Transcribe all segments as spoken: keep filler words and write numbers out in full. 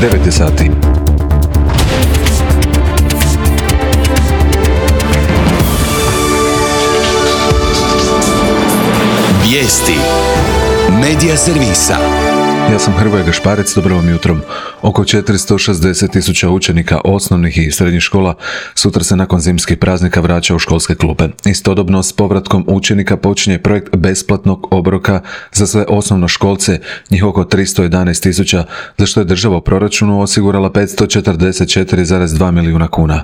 devet je sati. Vijesti Medija servisa. Ja sam Hrvoje Gašparec, dobro vam jutrom. Oko četiristo šezdeset tisuća učenika osnovnih i srednjih škola sutra se nakon zimskih praznika vraća u školske klupe. Istodobno s povratkom učenika počinje projekt besplatnog obroka za sve osnovnoškolce, njih oko tristo jedanaest tisuća, za što je država u proračunu osigurala petsto četrdeset četiri zarez dva milijuna kuna.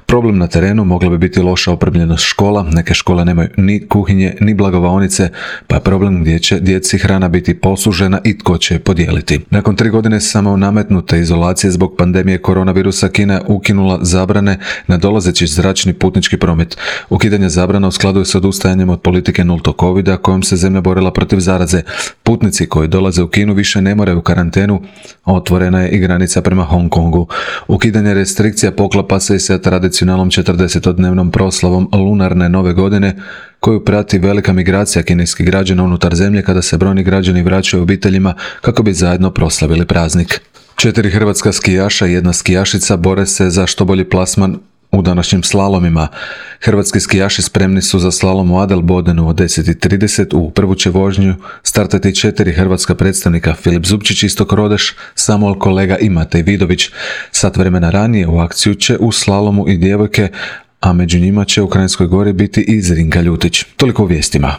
Problem na terenu mogla bi biti loša opremljenost škola, neke škole nemaju ni kuhinje, ni blagovaonice, pa je problem gdje će djeci hrana biti posužena i tko će je podijeliti. Nakon tri godine samo nametnute izolacije zbog pandemije koronavirusa, Kina je ukinula zabrane na dolazeći zračni putnički promet. Ukidanje zabrana u skladu je s odustajanjem od politike nultog covida kojom se zemlja borila protiv zaraze. Putnici koji dolaze u Kinu više ne moraju u karantenu, otvorena je i granica prema Hong Kongu. Ukidanje restrikcija poklapa se i sa tradicionalnom četrdesetodnevnom proslavom lunarne nove godine, koju prati velika migracija kineskih građana unutar zemlje kada se brojni građani vraćaju obiteljima kako bi zajedno proslavili praznik. Četiri hrvatska skijaša i jedna skijašica bore se za što bolji plasman u današnjim slalomima. Hrvatski skijaši spremni su za slalom u Adelbodenu od deset i trideset. U prvu će vožnju startati četiri hrvatska predstavnika: Filip Zupčić, Istok Rodeš, Samuel Kolega i Matej Vidović. Sat vremena ranije u akciju će u slalomu i djevojke, a među njima će u Kranjskoj Gori biti i Zrinka Ljutić. Toliko u vijestima.